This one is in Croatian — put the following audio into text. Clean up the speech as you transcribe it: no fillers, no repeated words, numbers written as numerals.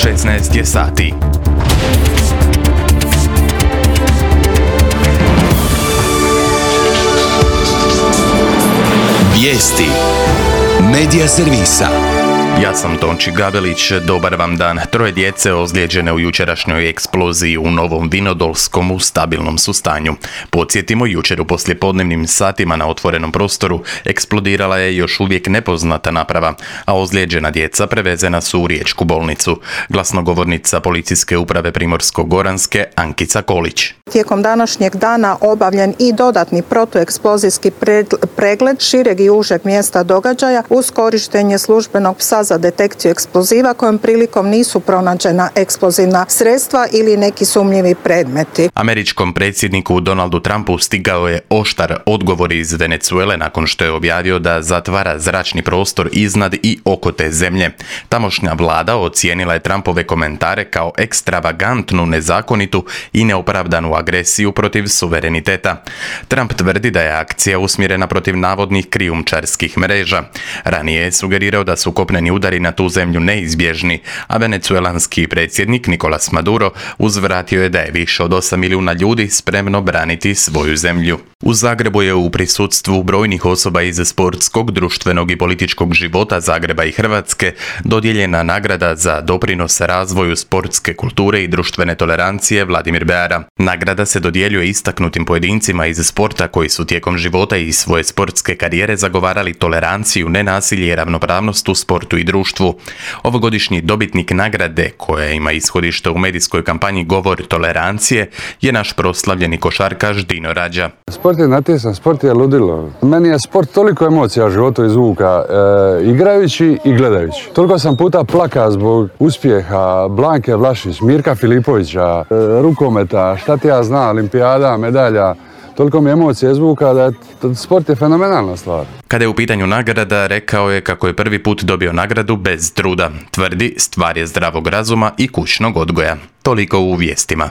16 je sati. Vijesti Medija servisa. Ja sam Tonči Gabelić, dobar vam dan. 3 djece ozlijeđene u jučerašnjoj eksploziji u Novom Vinodolskom u stabilnom su stanju. Podsjetimo, jučer u poslijepodnevnim satima na otvorenom prostoru eksplodirala je još uvijek nepoznata naprava, a ozlijeđena djeca prevezena su u riječku bolnicu. Glasnogovornica Policijske uprave Primorsko-goranske Ankica Kolić. Tijekom današnjeg dana obavljen i dodatni protueksplozijski pregled šireg i užeg mjesta događaja uz korištenje službenog psa za detekciju eksploziva kojom prilikom nisu pronađena eksplozivna sredstva ili neki sumnjivi predmeti. Američkom predsjedniku Donaldu Trumpu stigao je oštar odgovor iz Venezuele nakon što je objavio da zatvara zračni prostor iznad i oko te zemlje. Tamošnja vlada ocijenila je Trumpove komentare kao ekstravagantnu, nezakonitu i neopravdanu agresiju protiv suvereniteta. Trump tvrdi da je akcija usmjerena protiv navodnih krijumčarskih mreža. Ranije je sugerirao da su kopneni udari na tu zemlju neizbježni, a venecuelanski predsjednik Nicolas Maduro uzvratio je da je više od 8 milijuna ljudi spremno braniti svoju zemlju. U Zagrebu je u prisustvu brojnih osoba iz sportskog, društvenog i političkog života Zagreba i Hrvatske dodijeljena nagrada za doprinos razvoju sportske kulture i društvene tolerancije Vladimir Beara. Nagrada se dodjeljuje istaknutim pojedincima iz sporta koji su tijekom života i svoje sportske karijere zagovarali toleranciju, nenasilje i ravnopravnost u sportu i društvu. Ovogodišnji dobitnik nagrade, koja ima ishodište u medijskoj kampanji Govor tolerancije, je naš proslavljeni košarkaš Dino Rađa. Sport je natjecan, sport je ludilo. Meni je sport toliko emocija u životu izvuka, igrajući i gledajući. Toliko sam puta plaka zbog uspjeha Blanke Vlašić, Mirka Filipovića, rukometa, šta ti ja znam, olimpijada, medalja. Toliko mi emocija izvuka da sport je fenomenalna stvar. Kada je u pitanju nagrada, rekao je kako je prvi put dobio nagradu bez truda. Tvrdi, stvar je zdravog razuma i kućnog odgoja. Toliko u vijestima.